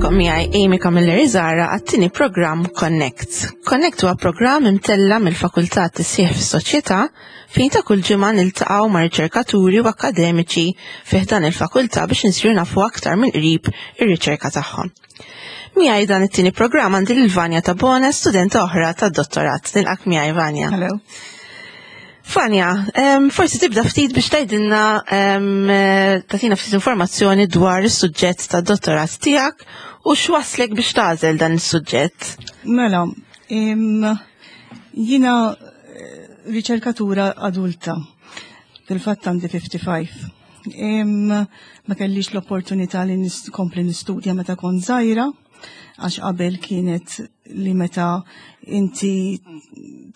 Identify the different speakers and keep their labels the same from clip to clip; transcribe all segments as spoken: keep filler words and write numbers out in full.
Speaker 1: Nilqagħkom miegħi Amy Camilleri Zara għat-tieni programm Connect. Connect huwa programm imtella mill-Fakultà Tisħiħ fis-Soċjetà fejn ta' kull ġimgħa niltaqgħu ma' riċerkaturi u akademiċi fih dan il-fakultà biex insiru nafu aktar minn qrib ir-riċerka tagħhom. Miegħi dan it-tieni programm għandi lil Vanja Tabone, studenta oħra tad-dottorat. Nilqak miegħi, Vanja.
Speaker 2: Hello.
Speaker 1: Vanja, um, forsi tibda ftit biex tgħidilna um, tagħtina ftit informazzjoni dwar is-suġġett tad-dottorat tiegħek u x'waslek biex tagħżel dan is-suġġett.
Speaker 2: Mela, im, jiena eh, riċerkatura adulta. Fil-fatt għandi ħamsa u ħamsin. Im, ma kellix l-opportunità li nkompli nistudja meta kont żgħira, għax qabel kienet li meta inti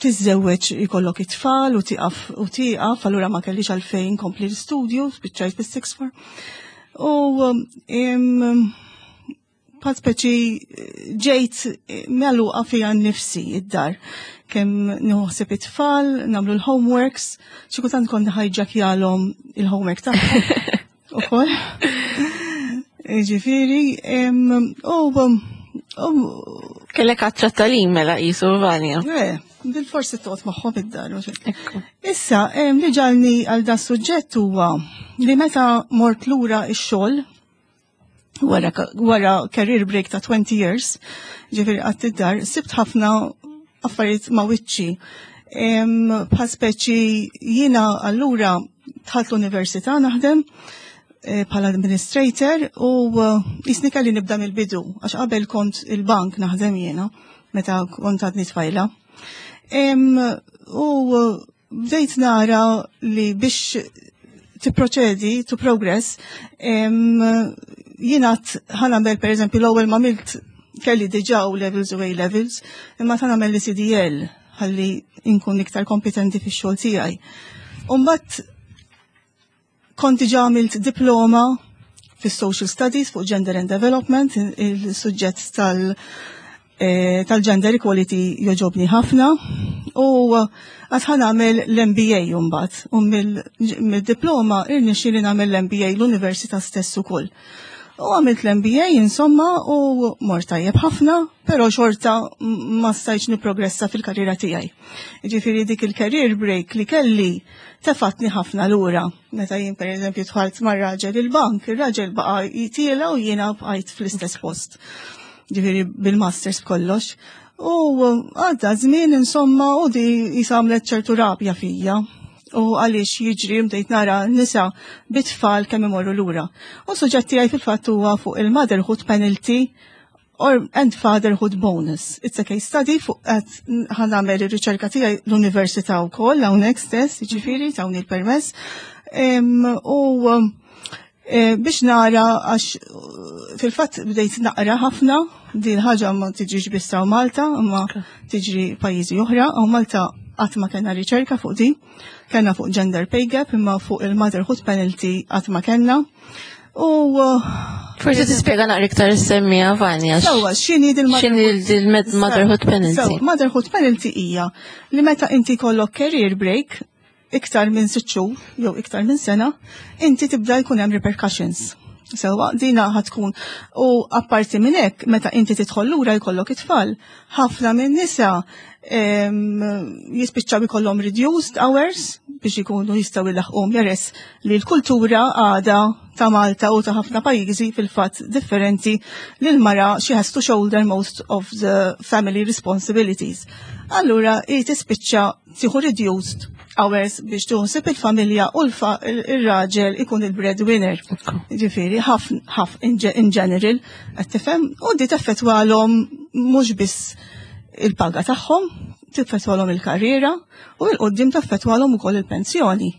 Speaker 2: tiżżewweġ ikollok it-tfal u tieqaf u tieqaf, allura ma kellix għalfejn kompli l-studju, spiċċajt bis-sixth form. U im, bħal speċi ġejt magħluqa fija nnifsi id-dar. Kemm nħossib it-tfal, nagħmlu l-homeworks, xi kultant kont ħajġakjalhom il-homework tagħhom. Ukoll. Ġifieri, u u
Speaker 1: Kellek għatxa tagħlim mela qisu, Vanja.
Speaker 2: Eh, bil-forsi toqgħod magħhom id-dar. U xejn.
Speaker 1: Ekku.
Speaker 2: Issa, em, li ġagħalni għal da suġġett huwa li meta mort lura ix-xogħol wara, wara career break ta' twenty years, ġifieri qgħadt id-dar, sibt ħafna affarijiet ma' wiċċi. Bħal speċi jiena allura dħalt l-università naħdem eh, bħala administrator u eh, kelli nibda mill-bidu, għax qabel kont il-bank naħdem jiena, meta kont għadni tfajla. Em, U eh, bdejt nara li biex tipproċedi, to progress, em, jiena ħa nagħmel, per eżempju, l-ewwel ma għamilt kelli diġà O levels u A levels, imma ħa nagħmel l-C D L ħalli inkun iktar kompetenti fix-xogħol tiegħi. Umbagħad kont diġà għamilt diploma fis-social studies fuq gender and development, il-suġġett tal- eh, tal-gender equality jogħġobni ħafna u għedt ħa nagħmel l-M B A mbagħad u mill-diploma irnexxieli nagħmel l-M B A l-università stess ukoll. U għamilt l-M B A insomma u mort tajjeb ħafna, pero xorta ma stajtx niprogressa fil-karriera tiegħi. Ġifieri dik il-career break li kelli tefatni ħafna lura. Meta jien, per eżempju, dħalt mar-raġel il-bank, ir-raġel baqa' jitla' u jiena bqajt fl-istess post. Ġifieri bil-masters, b'kollox. U għadda żmien insomma u di għamlet ċertu rabja fija. U għaliex jiġri bdejt nara nisa bit-tfal kemm imorru lura. U suġġett tiegħi fil-fatt huwa fuq il-motherhood penalty or and fatherhood bonus. It's a case study fuq qed ħa nagħmel ir-riċerka tiegħi l-università wkoll hawnhekk stess, jiġifieri tawni l-permess. Em, U eh, biex nara, għax eh, fil-fatt bdejt naqra ħafna, din ħaġa ma tiġrix biss hawn Malta, imma tiġri pajjiżi oħra, u Malta qatt ma kellna riċerka fuq di, kellna fuq gender pay gap, imma fuq il-motherhood penalty qatt ma kellna. U eh,
Speaker 1: Forsi tispjega naqra iktar is-semmija, Vanja.
Speaker 2: Sewwa, x'inhi
Speaker 1: X'inhi il-motherhood penalty?
Speaker 2: Sewwa, motherhood penalty hija li meta inti kollok career break iktar minn sitt xhur jew iktar minn sena, inti tibda jkun hemm repercussions. Sewwa, dina ħa tkun. U apparti minn hekk, meta inti tidħol lura jkollok it-tfal, ħafna minn nisa em, jispiċċaw ikollhom reduced hours biex ikunu jistgħu jilaħqu, peress li l-kultura għada ta' Malta u ta' ħafna pajjiżi fil-fatt differenti li l-mara she has to shoulder most of the family responsibilities. Allura hi tispiċċa tieħu reduced hours biex tuħsib il-familja u l-raġel ikun il-breadwinner. Ġifieri, ħaf, ħaf in in general, qed tifhem, u di teffettwalhom mhux biss il-paga tagħhom, teffettwalhom il-karriera u 'l quddiem teffettwalhom ukoll il-pensjoni.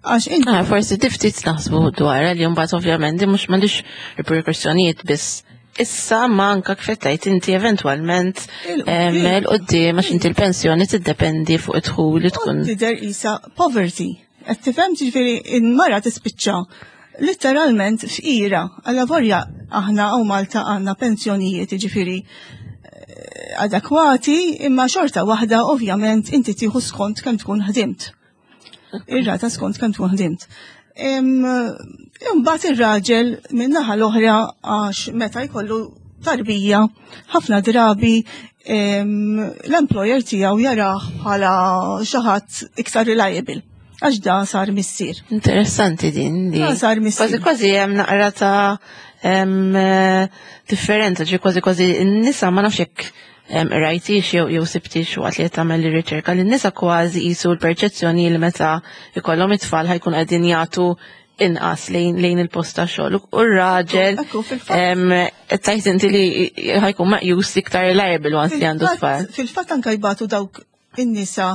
Speaker 2: Għax inti
Speaker 1: Ah, forsi ftit naħsbu dwar li mbagħad ovvjament di mhux m'għandix riperkussjonijiet biss issa, ma anka kif tgħid inti eventwalment
Speaker 2: Il-quddiem.
Speaker 1: 'il quddiem, għax inti l-pensjoni tiddependi fuq id-dħul li tkun.
Speaker 2: Tidher isa poverty. Qed tifhem, ġifieri il-mara tispiċċa literalment fqira. Alla vorja aħna hawn Malta għandna pensjonijiet, ġifieri, eh, adekwati, imma xorta waħda ovvjament inti tieħu skont kemm tkun ħdimt. Ir-rata skont kemm tkun ħdimt. Imbagħad ir-raġel min-naħa l-oħra, għax meta jkollu tarbija, ħafna drabi l-employer tiegħu jarah bħala xi ħadd iktar reliable għax da sar missier.
Speaker 1: Interessanti din li.
Speaker 2: Da sar missier.
Speaker 1: Kważi kważi hemm naqra ta' em, differenza, ġi kważi kważi n-nisa, ma nafx jekk rajtix jew jew sibtix waqt li qed tagħmel ir-riċerka, li n-nisa kważi qisu l-perċezzjoni li meta ikollhom it-tfal ħa jkun qegħdin jagħtu inqas lejn lejn il-post ta' xogħol. U r-raġel
Speaker 2: Ekku, fil-fatt.
Speaker 1: em, qed tgħid inti li ħa jkun meqjus iktar reliable once li għandu tfal.
Speaker 2: Fil-fatt anka jbatu dawk in-nisa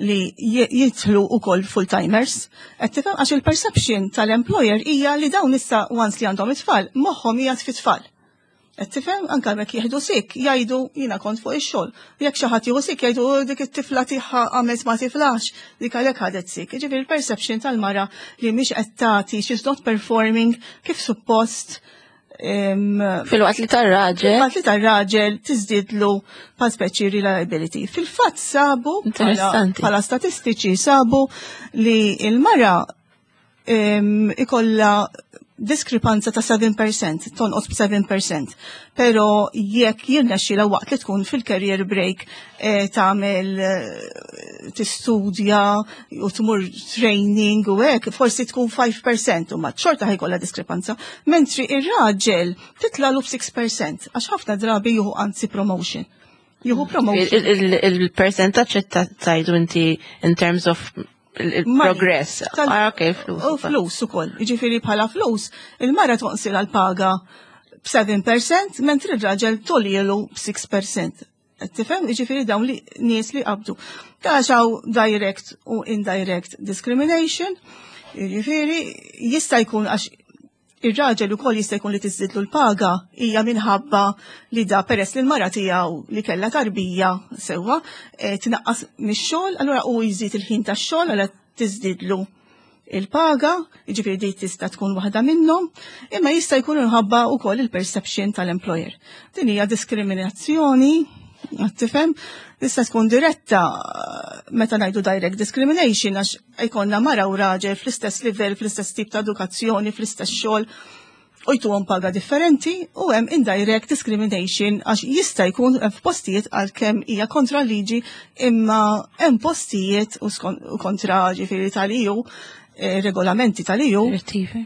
Speaker 2: li jidħlu ukoll full-timers. Qed tifhem, għax il-perception tal-employer hija li dawn issa, once li għandhom it-tfal, moħħhom hija fit-tfal. Qed tifhem, anka jekk jieħdu sick, jgħidu "Jiena kont fuq ix-xogħol." Jekk xi ħadd jieħu sick, jgħidu "Oh, dik it-tifla tagħha għamlet ma tiflax, dik għalhekk ħadet sick." Ġifieri il-perception tal-mara li mhix qed tagħti, she's not performing kif suppost.
Speaker 1: Fil-waqt li tar-raġel.
Speaker 2: Fil-waqt li tar-raġel tiżdidlu pa speċi reliability. Fil-fatt sabu,
Speaker 1: Interessanti.
Speaker 2: bħala statistiċi, sabu li il-mara ikolla diskrepanza ta' seba' fil-mija, tonqos b'seba' fil-mija. Pero jekk jirnexxila waqt li tkun fil-career break eh, tagħmel eh, tistudja u tmur training u hekk, forsi tkun ħamsa fil-mija u ma xorta ħa jkollha diskrepanza. Mentri ir-raġel titlalu b'sitta fil-mija għax ħafna drabi jieħu anzi promotion. Jieħu promotion.
Speaker 1: Il-percentaġġ qed tgħidu inti in terms of il-progress.
Speaker 2: Tal-
Speaker 1: Ah, ok, flus.
Speaker 2: U flus ukoll. Jiġifieri bħala flus, il-mara tonqsilha l-paga b'seba' fil-mija, mentri il-raġel togħlielu b'sitta fil-mija. Qed tifhem? Jiġifieri dawn li nies li qabdu. Taxaw direct u indirect discrimination. Jiġifieri jista' jkun għax ir-raġel ukoll jista' jkun li tiżdidlu l-paga hija minħabba li da peress li l-mara tiegħu li kellha tarbija sewwa eh, tnaqqas mix-xogħol, allura hu jżid il-ħin tax-xogħol, allura tiżdidlu il-paga, jiġifieri di tista' tkun waħda minnhom, imma jista' jkun minħabba wkoll il-perception tal-employer. Din hija diskriminazzjoni, qed tifhem, tista' tkun diretta, meta ngħidu direct discrimination, għax jkollna mara u raġel fl-istess livell, fl-istess tip ta' edukazzjoni, fl-istess xogħol u jtuhom paga differenti, u hemm indirect discrimination għax jista' jkun f'postijiet, għalkemm hija kontra liġi, imma hemm postijiet u skon- u kontra ġifieri tal-E U, eh, regolamenti tal-E U,
Speaker 1: Direttivi.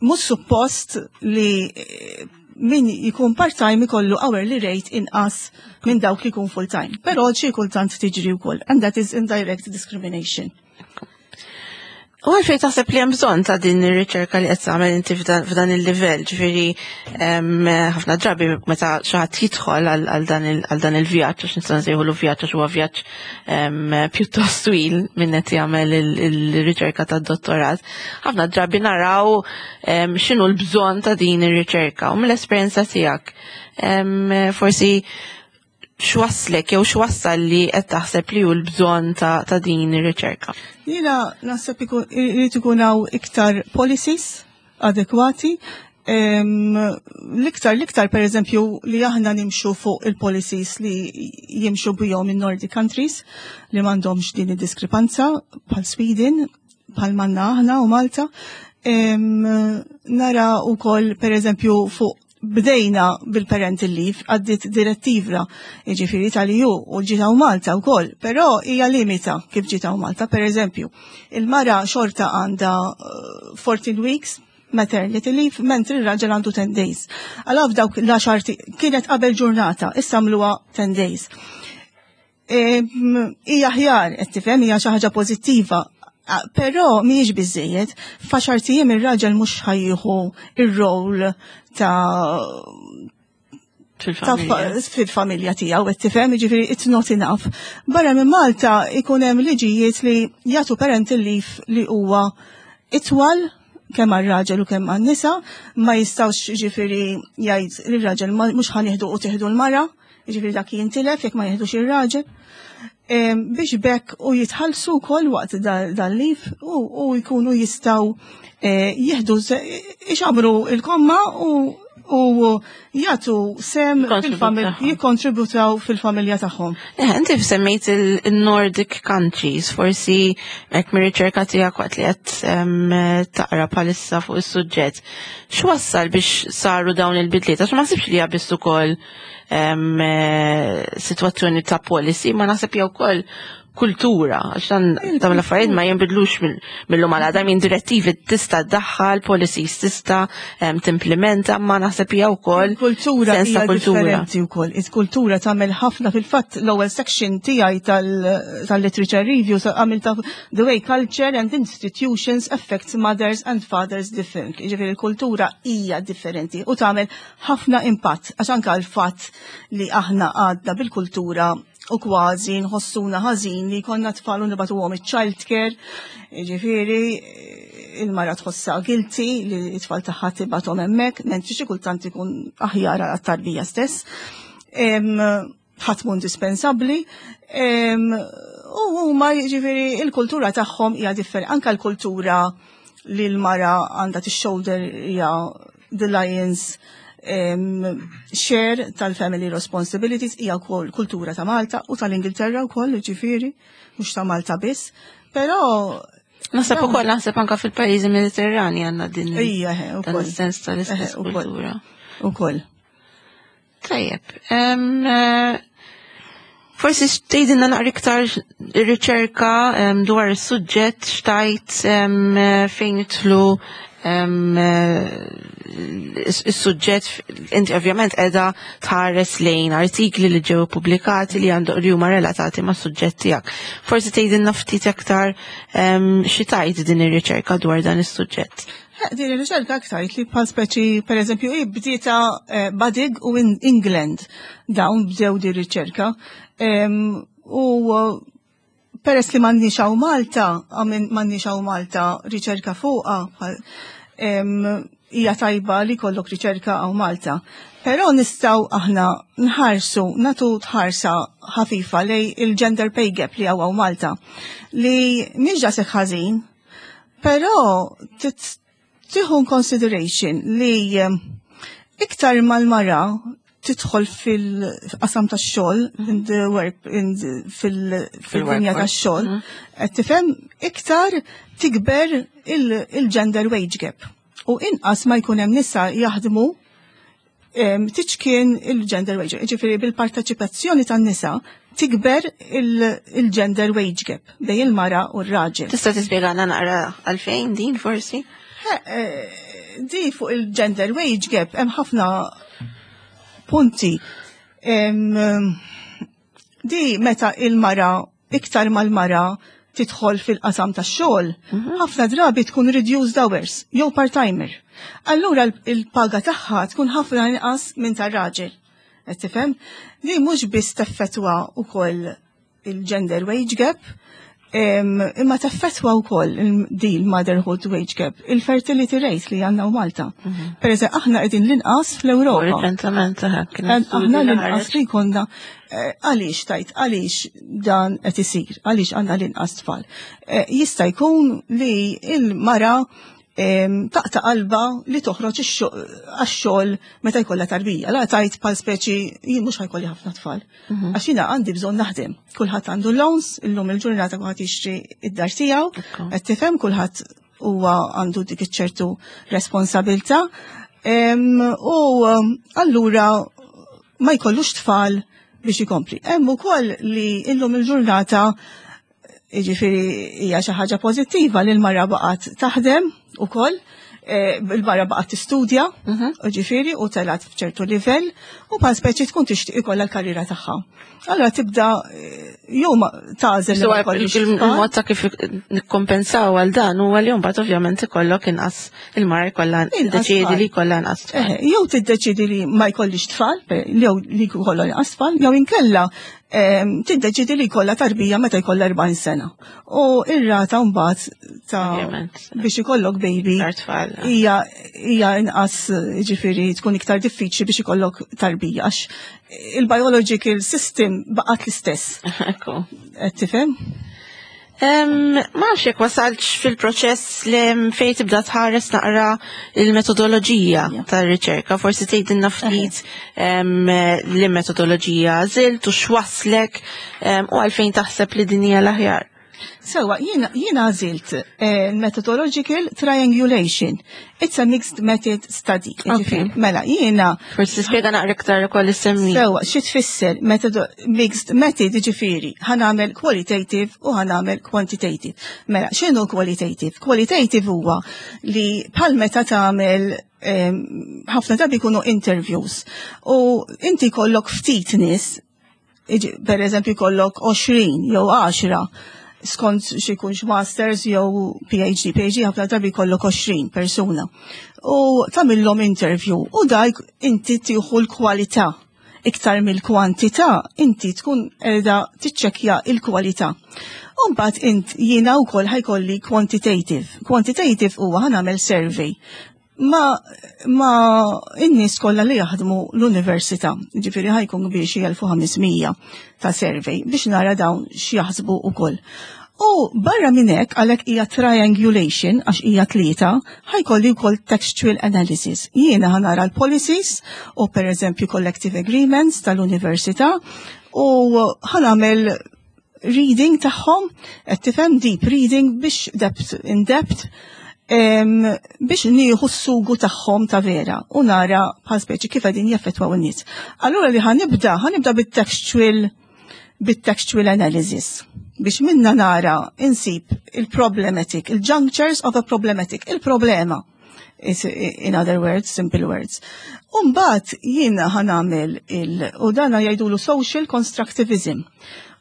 Speaker 2: Mhux suppost li eh, min jkun part-time ikollu hourly rate inqas minn dawk li jkun full-time. Però xi kultant tiġri wkoll, and that is indirect discrimination.
Speaker 1: U għalfejn taħseb li hemm bżonn ta' din ir-riċerka li qed tagħmel inti f'dan f'dan il-livell, ġifieri em, ħafna drabi meta xi ħadd jidħol għal għal dan il- għal dan il-vjaġġ, għax nista' nsejħulu vjaġġ għax huwa vjaġġ em, pjuttost twil minn qed jagħmel il- il-riċerka tad-dottorat. Ħafna drabi naraw em, x'inhu l-bżonn ta' din ir-riċerka, u mill-esperjenza tiegħek em, forsi x'wasslek jew x'wassal li qed taħseb li hu l-bżonn ta', ta' din ir-riċerka?
Speaker 2: Jiena naħseb ikun- irid ikun hawn iktar policies adekwati. Em, L-iktar, l-iktar per eżempju li aħna nimxu fuq il-policies li jimxu bihom in Nordic countries li m'għandhomx din id-diskrepanza bħal Sweden, bħal manna aħna u Malta. Em, nara ukoll per eżempju fuq bdejna bil-parental leave, għaddit direttiva ġifieri tal-E U u ġiet hawn Malta u koll, pero hija limita kif ġiet hawn Malta. Per eżempju, il-mara xorta għandha eh, fourteen weeks maternity leave, mentri il-raġel għandu ten days. Għalaf dawk l-għaxart kienet qabel ġurnata, issa għamluha ten days. Em, Hija aħjar, qed tifhem, hija xi ħaġa pożittiva, Ah, però mhijiex biżejjed, f'għaxart ijiem ir-raġel mhux ħa jieħu ir-rol ta' ta'
Speaker 1: Fil-familja.
Speaker 2: Fil-familja tiegħu, qed tifhem, jiġifieri it's not enough. Barra minn Malta ikun hemm liġijiet li jagħtu parental leave li huwa itwal kemm għar-raġel u kemm għan-nisa, ma jistgħux ġifieri jgħid lir-raġel ma- mhux ħa nieħdu u tieħdu l-mara, jiġifieri dak jintilef jekk ma jieħdux ir-raġel. Em, biex bekk u jitħallsu wkoll waqt da- dal-leave u, u jkunu jistgħu eh, jieħdu se- ixabru il-komma u U jagħtu sehem
Speaker 1: Kontribut
Speaker 2: fil-familja,
Speaker 1: tagħhom.
Speaker 2: jikkontributaw fil-familja tagħhom.
Speaker 1: Eh, inti semmejt il-Nordic countries, forsi hekk mir-riċerka tiegħek waqt li qed em, taqra bħalissa fuq is-suġġett. X'wassal biex saru dawn il-bidliet? Għax ma naħsibx li hija biss ukoll em, eh, sitwazzjoni ta' policy, ma naħseb hija wkoll kultura, għax dan dawn l-affarijiet ma jinbidlux mill- mill-lum għal għada minn direttivi tista' ddaħħal, policies tista' em, timplementa, ma naħseb hija wkoll
Speaker 2: Il-kultura
Speaker 1: sens ta'
Speaker 2: hija
Speaker 1: kultura.
Speaker 2: differenti wkoll. Il-kultura tagħmel ħafna, fil-fatt l-ewwel section tiegħi tal- tal-literature review sa għamilta "The way culture and institutions affect mothers and fathers differently". Ġifieri il-kultura hija differenti u tagħmel ħafna impatt, għax anke l-fatt li aħna għadna bil-kultura u kważi nħossuna ħażin li konna tfal u nibagħtuhom iċ-child care, ġifieri il-mara tħossha guilty li t-tfal tagħha tibgħathom hemmhekk, mentri xi kultant ikun aħjar għat-tarbija stess. Em, Ħadd mhu indispensabbli. Em, U huma, ġifieri, il-kultura tagħhom hija differenti. Anka l-kultura li l-mara għandha tix-shoulder hija the lion's um, share tal-family responsibilities hija wkoll kultura ta' Malta u tal-Ingilterra wkoll, ġifieri, mhux ta' Malta biss. Però
Speaker 1: Naħseb ukoll, naħseb anka fil-pajjiżi Mediterrani għandna din
Speaker 2: Ija, eh,
Speaker 1: dan
Speaker 2: ukoll.
Speaker 1: is-sens tal-istess
Speaker 2: Eh, ukoll.
Speaker 1: kultura.
Speaker 2: Ukoll.
Speaker 1: Tajjeb. em, eh, Forsi tgħidilna naqra iktar ir-riċerka em, dwar is-suġġett xtajt em, eh, fejn jidħlu em, eh, is-suġġett. Inti ovvjament qiegħda tħares lejn artikli li ġew pubblikati li għandu li huma relatati ma' suġġett tiegħek. Forsi tgħidilna ftit aktar em, xi tajt din ir-riċerka dwar dan is-suġġett.
Speaker 2: Eh, Din ir-riċerka aktar li bħal speċi, per eżempju, i bdieta eh, Badig u in England dawn bdew di riċerka. Em, U eh, peress li m'għandniex hawn Malta, għamin m'għandniex hawn Malta riċerka fuqha, bħal- em, hija tajba li kollok riċerka hawn Malta. Però nistgħu aħna nħarsu, nagħtu tħarsa ħafifa lejn il-gender pay gap li hawn Malta, li mhix daqshekk ħażin, però tit- tieħu in consideration li em, iktar mal-mara tidħol fil-qasam tax-xogħol, in the work, in the- fil- fil-dinja
Speaker 1: Fil-workforce.
Speaker 2: tax-xogħol, qed tifhem, iktar tikber il- il-gender wage gap. U inqas ma jkun hemm nisa jaħdmu em, tiċkien il-gender wage gap. Ġifieri bil-parteċipazzjoni tan-nisa tikber il- il-gender wage gap bejn il-mara u r-raġel.
Speaker 1: Tista' tispjegana naqra għalfejn din forsi?
Speaker 2: Eh, Di fuq il-gender wage gap hemm ħafna punti. Em, Di meta il-mara, iktar mal-mara tidħol fil-qasam tax-xogħol, ħafna drabi tkun reduced hours jew part-timer. Allura l- il-paga tagħha tkun ħafna inqas minn tar-raġel. Qed tifhem? Di mhux biss teffettwa wkoll il-gender wage gap, em, imma teffettwa wkoll il- di l-motherhood wage gap, il-fertility rate li għandna Malta. Per eżempju, aħna qegħdin l-inqas fl-Ewropa.
Speaker 1: Reċentament, eh, kien
Speaker 2: Aħna
Speaker 1: studju li
Speaker 2: l-inqas
Speaker 1: ħareġ.
Speaker 2: li konna, eh, għaliex tajt, għaliex dan qed isir, għaliex għandna l-inqas tfal? Eh, Jista' jkun li il-mara em, taqta' qalba li toħroġ ix-xo- għax-xogħol meta jkollha tarbija. La tajt bħal speċi jien mhux ħa jkolli ħafna tfal. Għax jiena għandi bżonn naħdem. Kulħadd għandu loans, illum il-ġurnata kulħadd jixtri id-dar tiegħu,
Speaker 1: Ekku.
Speaker 2: qed tifhem, kulħadd huwa għandu dik iċ-ċertu responsabilità. Em, U em, allura ma jkollux tfal biex ikompli. Hemm ukoll li illum il-ġurnata, jiġifieri hija xi ħaġa pożittiva li l-mara baqgħet taħdem ukoll, eh, il-mara baqgħet tistudja, ġifieri u telgħet f'ċertu livell u bħal speċi tkun tixtieq ikollha l-karriera tagħha. Allura tibda eh, jew ma tagħżel li
Speaker 1: So,
Speaker 2: ma jkollix tfal.
Speaker 1: il-mod ta' kif nikkompensaw għal dan huwa li mbagħad ovvjament ikollok inqas, il-mara jkollha
Speaker 2: Inqas
Speaker 1: tiddeċiedi
Speaker 2: tfal.
Speaker 1: li jkollha inqas tfal.
Speaker 2: Eħe, jew tiddeċidi li ma jkollix tfal, per- jew li jkollha inqas tfal, jew inkella em, tiddeċidi li jkollha tarbija meta jkollha erbgħin sena. U ir-rata mbagħad ta'
Speaker 1: Ovvjament.
Speaker 2: biex ikollok baby
Speaker 1: Iktar tfal.
Speaker 2: hija hija inqas, ġifieri tkun iktar diffiċli biex ikollok tarbija għax il-biological system baqgħet l-istess.
Speaker 1: Ekku.
Speaker 2: Qed tifhem?
Speaker 1: Ma nafx jekk wasaltx fil-proċess li fejn tibda tħares naqra il-metodoloġija tar-riċerka, forsi tgħidilna ftit li metodoloġija għażilt u x'waslek u għalfejn taħseb li din hija l-aħjar.
Speaker 2: Sewa, jiena għażilt eh, methodological triangulation. It's a mixed method study.
Speaker 1: Okay.
Speaker 2: Mela, jiena.
Speaker 1: Forsi spjega naqra iktar ukoll issemmi.
Speaker 2: Sewa, xi tfisser mixed method, ġifieri, ħa nagħmel qualitative u ħa nagħmel quantitative. Mela, x'inhu qualitative? Qualitative huwa li bħal meta tagħmel ħafna drabi jkunu interviews u inti kollok ftit nies, per eżempju kollok għoxrin jew għaxra, skont xi jkunx masters jew P H D. P H D ħafna drabi jkollok għoxrin persuna. U tagħmilhom interview u dak inti tieħu l-kwalità iktar mill-kwantità, inti tkun qiegħda tiċċekkja il-kwalità. Umbagħad int jiena wkoll ħa jkolli quantitative. Quantitative huwa ħa nagħmel survey ma, ma in-nies kollha li jaħdmu l-università, ġifieri ħa jkun biex elf u ħames mija ta' survey biex nara dawn x'jaħsbu ukoll. U barra minn hekk, għalhekk hija triangulation għax hija tlieta, ħa jkolli wkoll textual analysis. Jiena ħa nara l-policies u per eżempju collective agreements tal-università u ħa nagħmel reading tagħhom, qed tifhem, deep reading biex depth in depth biex nieħu s-sugu tagħhom ta' vera u nara bħal speċi kif qegħdin jaffettwaw in-nies. Allura li ħa nibda, ħa nibda bit-textual bit-textual analysis biex minna nara insib il-problematic, il-junctures of a problematic, il-problema. In other words, simple words. Umbagħad jiena ħa nagħmel il- u dana jgħidulu social constructivism.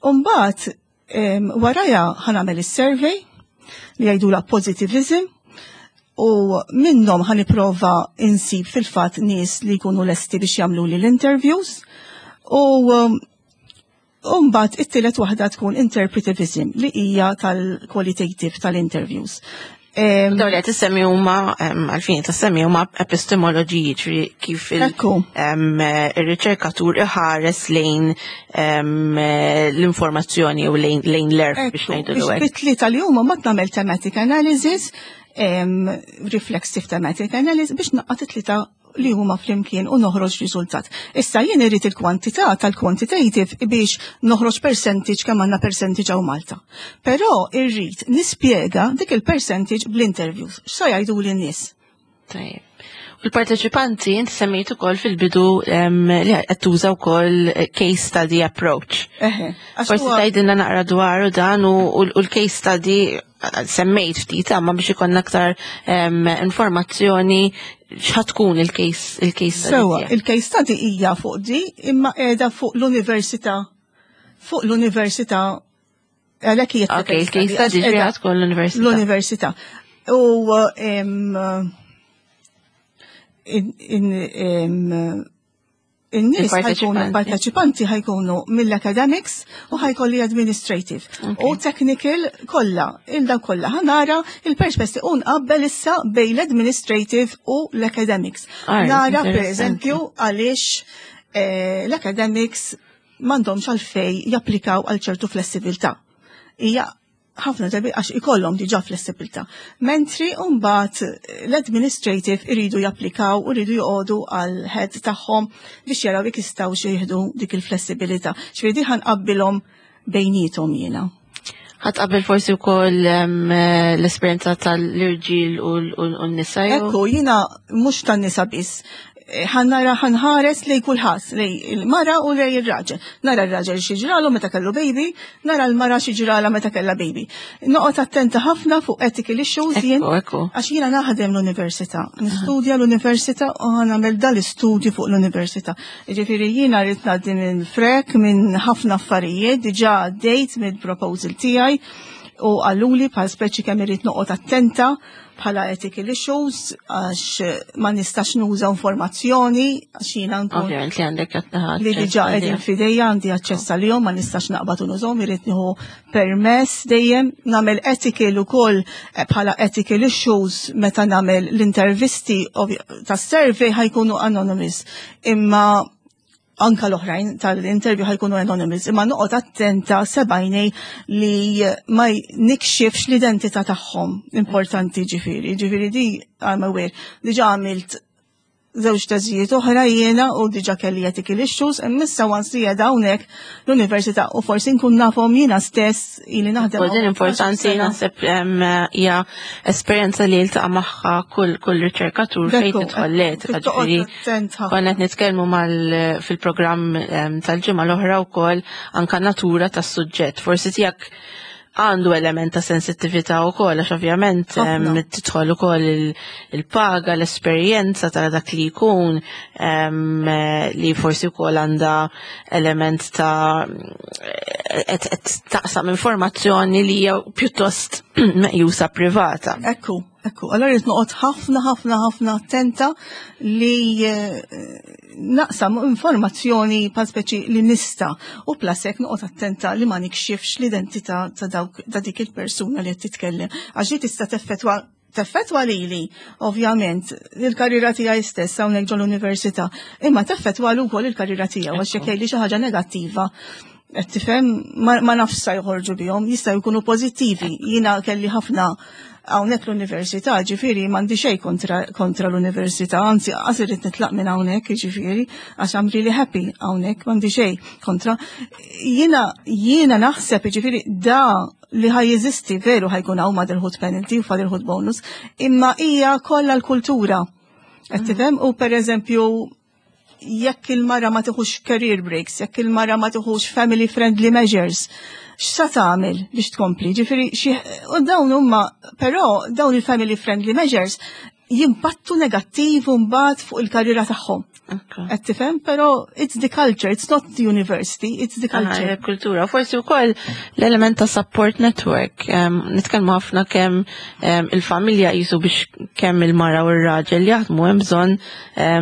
Speaker 2: Umbagħad warajha ħa nagħmel il-survey li jgħidula positivism u minnhom ħa nipprova insib fil-fatt nies li jkunu lesti biex jagħmlu li l-interviews u Umbagħad it-tielet waħda tkun interpretivism li hija tal-qualitative tal-interviews.
Speaker 1: Dawn li qed issemmi huma, għalfejn tissemmi, huma epistemoloġiji, ġifieri kif il-riċerkatur iħares lejn l-informazzjoni u lejn l-għerf biex ngħidu
Speaker 2: l Bit-tlieta li huma ma nagħmel thematic analysis, reflexive thematic analysis biex ngħaqqad it-tlieta li huma flimkien u noħroġ riżultat. Issa jien irrid il-kwantità tal-quantitative biex noħroġ percentage, kemm għandna percentage hawn Malta. Però irrid nispjega dik il-percentage bl-interviews. X'sa jgħidu lin-nies?
Speaker 1: Tajjeb. U l-parteċipanti, inti semmejt ukoll fil-bidu li qed tuża wkoll case study approach.
Speaker 2: Eħe.
Speaker 1: Forsi tgħidilna naqra dwar dan u l-case study semmejt ftit, imma biex ikollna aktar informazzjoni, x'ħa tkun il-case il-case study?
Speaker 2: Sewa, il-case study hija fuq di, imma qiegħda fuq l-università fuq l-università għalhekk hija.
Speaker 1: Ok, il-case study ġifieri tkun l-università.
Speaker 2: L-università. U em, in- in- em, in-nies ħa jkunu
Speaker 1: Il-parteċipanti.
Speaker 2: Parteċipanti ħa jkunu mill-academics u ħa jkolli administrative u technical kollha, il-daw kollha. Ħa nara il-perspesti u nqabbel issa bejn l-administrative u l-academics.
Speaker 1: Alright,
Speaker 2: Nara per
Speaker 1: interessanti.
Speaker 2: eżempju għaliex eh, l-academics m'għandhomx għalfej japplikaw għal ċertu flessibilità. Hija ħafna drabi għax ikollhom diġà flessibilità. Mentri mbagħad l-administrative iridu japplikaw u iridu joqogħdu għal head tagħhom biex jaraw jekk jistgħu jieħdu dik il-flessibilità. Ġifieri ħa nqabbilhom bejniethom jiena.
Speaker 1: Ħa tqabbel forsi wkoll em, l-esperjenza tal-irġiel u l- u n-nisa jew?
Speaker 2: Ekku, jiena mhux tan-nisa biss. Eh, Ħa nara, ħa nħares lej kulħadd, lej il-mara u lej il-raġel. Nara il-raġel xi ġralu meta kellu baby, nara l-mara xi ġrala meta kellha baby. Noqgħod attenta ħafna fuq ethical issues jien.
Speaker 1: Ekku, ekku.
Speaker 2: Għax jiena naħdem l-università, nistudja l-università u nagħmel dal-istudju fuq l-università. Ġifieri jiena rrid ngħaddi minn frek minn ħafna affarijiet, diġà għaddejt mill-proposal tiegħi u qaluli bħal speċi kemm irrid noqgħod attenta bħala ethical issues għax ma nistax nuża informazzjoni għax jiena nkun
Speaker 1: Ovvjament li għandek
Speaker 2: li diġà qegħdin f'idejja, għandi aċċess għalihom, ma nistax naqbad u nużhom, irrid nieħu permess dejjem, nagħmel ethical ukoll eh, bħala ethical issues meta nagħmel l-intervisti ovvj- tas-survey ħa jkunu anonymous. Imma Anka l-oħrajn tal-interview ħa jkunu anonymous, imma noqgħod attenta sebajnej li ma nikxifx l-identità tagħhom. Importanti ġifieri, ġifieri di I'm aware. Diġà għamilt żewġ teżijiet oħra jiena u diġà kelli ethical issues, imma once li qiegħda hawnhekk l-università u forsi nkun nafhom jiena stess, ili naħdem.
Speaker 1: U din importanti, naħseb hija esperjenza li jiltaqa' magħha kull kull riċerkatur fejn tidħol l-etika, ġifieri konna qed nitkellmu mal fil-programm tal-ġimgħa l-oħra wkoll anka natura tas-suġġett. Forsi tiegħek għandu element ta' sensittività u koll, għax ovvjament tidħol ukoll il-paga, l-esperjenza ta' dak li jkun, li forsi wkoll għandha element ta' qed taqsam informazzjoni li hija pjuttost meqjusa privata.
Speaker 2: Ekku, ekku. Allora rrid noqgħod ħafna ħafna ħafna attenta li eh, naqsam informazzjoni pa speċi li nista u plus hekk noqgħod attenta li ma nikxifx l-identità ta' dawk ta' dik il-persuna li qed titkellem. Għax li tista' teffettwa teffettwa lili, ovvjament, il-karriera tiegħi stess hawnhekk ġol università, imma teffettwa wkoll il-karriera tiegħu għax jekk jgħidli xi ħaġa negattiva, qed tifhem, ma, ma nafx sa joħorġu bihom, jistgħu jkunu pożittivi. Jiena kelli ħafna hawnhekk l-università, ġifieri m'għandi xejn kontra, kontra l-università, anzi qas irrid nitlaq minn hawnhekk, ġifieri għax I'm really happy hawnhekk, m'għandi xejn kontra. Jiena jiena naħseb ġifieri da li ħa jeżisti veru, ħa jkun hawn motherhood penalty u fatherhood bonus, imma hija kollha l-kultura. Qed tifhem? U per eżempju jekk il-mara ma tiħux career breaks, jekk il-mara ma tiħux family friendly measures, x'sa tagħmel biex tkompli? Ġifieri xi u dawn huma, però dawn il-family friendly measures jimpattu negattiv mbagħad fuq il-karriera tagħhom. Qed tifhem? Però it's the culture, it's not the university, it's the culture.
Speaker 1: Kultura. Forsi wkoll l-element ta' support network. Nitkellmu ħafna kemm il-familja jisu biex kemm il-mara u r-raġel jaħdmu hemm bżonn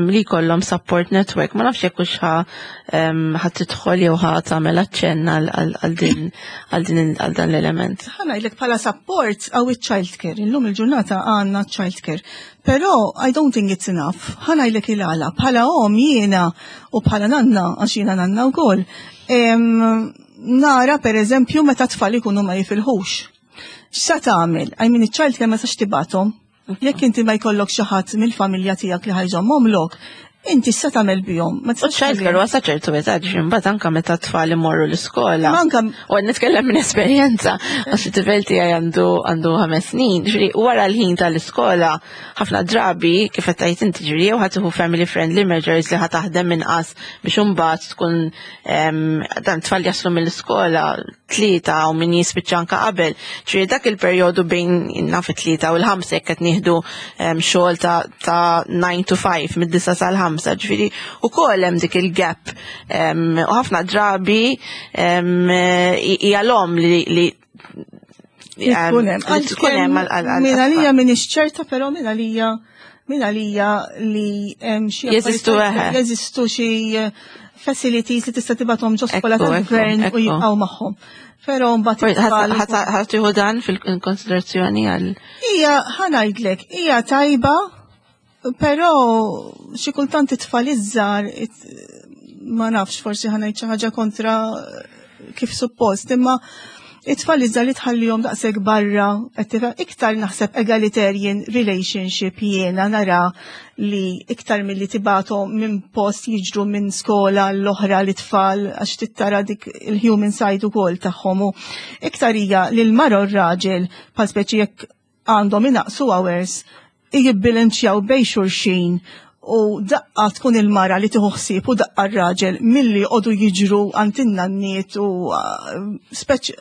Speaker 1: li jkollhom support network. Ma nafx jekk hux ħa tidħol jew ħa tagħmel aċċenn għal din għal din għal dan l-element.
Speaker 2: Ħa ngħidlek, bħala support għaw il-child care. Illum il-ġurnata għandna child care. Però I don't think it's enough. Ħa ngħidlek il-għala. Bħala om jiena u bħala nanna, għax jiena nanna wkoll. Nara per eżempju meta tfal ikunu ma jifilħux. X'sa tagħmel? I mean, iċ-child care ma sax tibgħathom. Jekk inti ma jkollok xi ħadd mill-familja tiegħek li ħa jżommhomlok, inti x'sa tagħmel bihom?
Speaker 1: Ma tistax. Child care wasa ċertu età, ġifieri mbagħad anke meta tfal imorru l-iskola.
Speaker 2: Anka
Speaker 1: U għad nitkellem minn esperjenza, għax it-tifel tiegħi għandu għandu ħames snin, ġifieri wara l-ħin tal-iskola, ħafna drabi, kif qed tgħid inti, ġifieri jew ħa tieħu family friendly measures li ħa taħdem inqas biex imbagħad tkun dan tfal jaslu mill-iskola tlieta u min jispiċċa anka qabel. Ġifieri dak il-perjodu bejn naf it-tlieta u l-ħamsa jekk qed nieħdu xogħol ta' ta' nine to five, mid-disa sal-ħamsa, ġifieri ukoll hemm dik il-gap. U ħafna drabi hija l-om li li
Speaker 2: Tkun hemm.
Speaker 1: Tkun hemm għal
Speaker 2: Min għalija m'iniex ċerta, però min għalija min għalija li hemm xi
Speaker 1: Jeżistu, eħe.
Speaker 2: Jeżistu xi eh, facilities li tista' tibgħathom ġo skola
Speaker 1: Ekku,
Speaker 2: tal-gvern
Speaker 1: ekku,
Speaker 2: u jibqgħu magħhom. Però mbagħad it-tfal
Speaker 1: Ħa tieħu dan fil-konsiderazzjoni għal
Speaker 2: Hija, ħa ngħidlek, hija tajba, però xi kultant it-tfal iż-żgħar it- ma nafx, forsi ħa ngħid xi ħaġa kontra kif suppost, imma it-tfal iż-żgħar li tħallihom daqshekk barra, qed tifhem, iktar naħseb egalitarian relationship jiena nara li iktar milli tibgħathom minn post, jiġru minn skola l-oħra li tfal, għax tittara dik il-human side ukoll tagħhom, u iktar hija li l-mara u r-raġel bħal speċi jekk għandhom inaqsu hours jibbilanċjaw bejn xulxin u daqqa tkun il-mara li tieħu ħsieb u daqqa r-raġel, milli joqogħdu jiġru għand in-nanniet u uh, speċ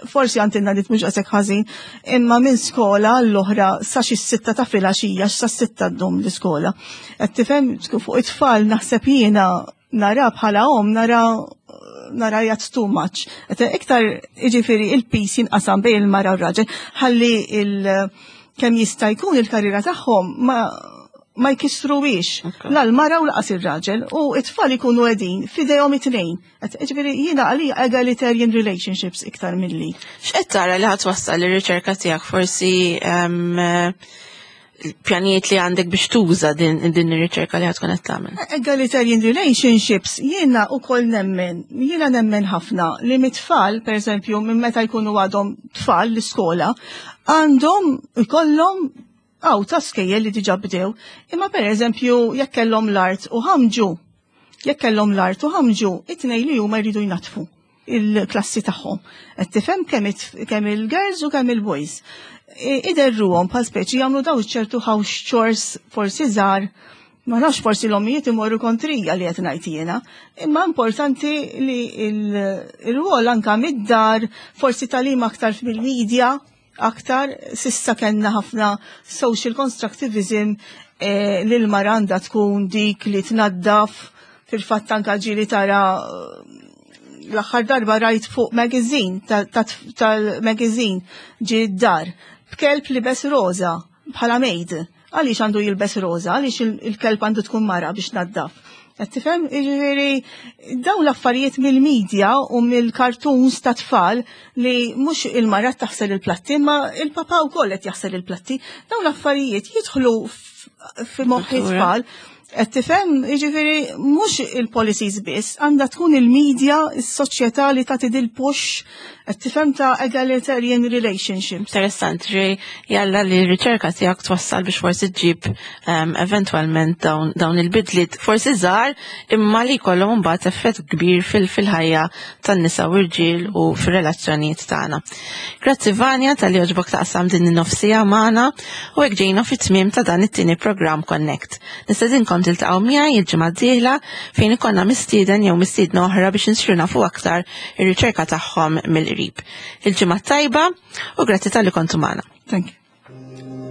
Speaker 2: forsi għand in-nanniet mhux daqshekk ħażin, imma minn skola l-oħra sa xi sitta ta' filgħaxija, sa sitta ddum l-iskola. Qed tifhem, fuq it-tfal naħseb jiena nara bħala om nara nara jgħat too much. Et iktar iġifiri il-piż jinqasam bejn il-mara u r-raġel, ħalli il- kemm jista' jkun il-karriera tagħhom ma ma jkissruwix
Speaker 1: Okay.
Speaker 2: la l-mara u lanqas ir-raġel u it-tfal ikunu qegħdin f'idejhom it-tnejn. Et Ġifieri jiena għalija egalitarian relationships iktar milli.
Speaker 1: X'qed tara li ħa twassal ir-riċerka tiegħek forsi em, pjanijiet li għandek biex tuża din, din ir-riċerka li ħa tkun qed tagħmel?
Speaker 2: Egalitarian relationships, jiena ukoll nemmen, jiena nemmen ħafna li mit-tfal, per eżempju, minn meta jkunu għadhom tfal l-iskola, għandhom ikollhom għaw ta' skejjel li diġa bdew, imma per eżempju, jekk kellhom l-art u ħamġu, jekk kellhom l-art u ħamġu, it-tnejn li huma jridu jnaddfu il-klassi tagħhom. Qed tifhem kemm kemm il-girls u kemm il-boys. Iderruhom bħal speċi jagħmlu daw ċertu house chores forsi żgħar, ma nafx, forsi l-ommijiet imorru kontrija li qed ngħid jiena, imma importanti li il-rwol anka mid-dar, forsi tagħlim aktar fil-media, aktar s'issa kellna ħafna social constructivism eh, li l-mara għandha tkun dik li tnaddaf. Fil-fatt anka ġieli tara, l-aħħar darba rajt fuq magazine, tal-magazine ġi d-dar, b'kelb libes roza, bħala maid. Għaliex għandu jilbes roza? Għaliex il-kelb għandu tkun mara biex tnaddaf? Qed tifhem? Jiġifieri dawn l-affarijiet mill-medja u mill-cartoons ta' tfal li mhux il-mara taħsel il-platti, ma il-papa wkoll qed jaħsel il-platti. Dawn l-affarijiet jidħlu fi moħħ it-tfal. Qed tifhem? Jiġifieri mhux il-policies biss, għandha tkun il-media, is-soċjetà li tagħti dil-push, qed tifhem, ta' egalitarian relationships.
Speaker 1: Interessant, ġej jalla li r-riċerka tiegħek twassal biex forsi ġġib um, eventwalment dawn, dawn il-bidliet forsi żgħar imma li jkollhom mbagħad effett kbir fil-ħajja tan-nisa u rġiel u fir-relazzjonijiet tagħna. Grazzi, Vanja, talli għoġbok taqsam din in-nofs siegħa magħna u hekk ġejna fit-tmiem ta' dan it-tieni programm Connect. Nistedinkom tiltaqgħu miegħi il-ġimgħa d-dieħla fejn ikollna mistieden jew mistiedna oħra biex insiru nafu aktar ir-riċerka tagħhom mill-qrib. Il-ġimgħa tajba u grazzi talli kontu magħna.
Speaker 2: Thank you.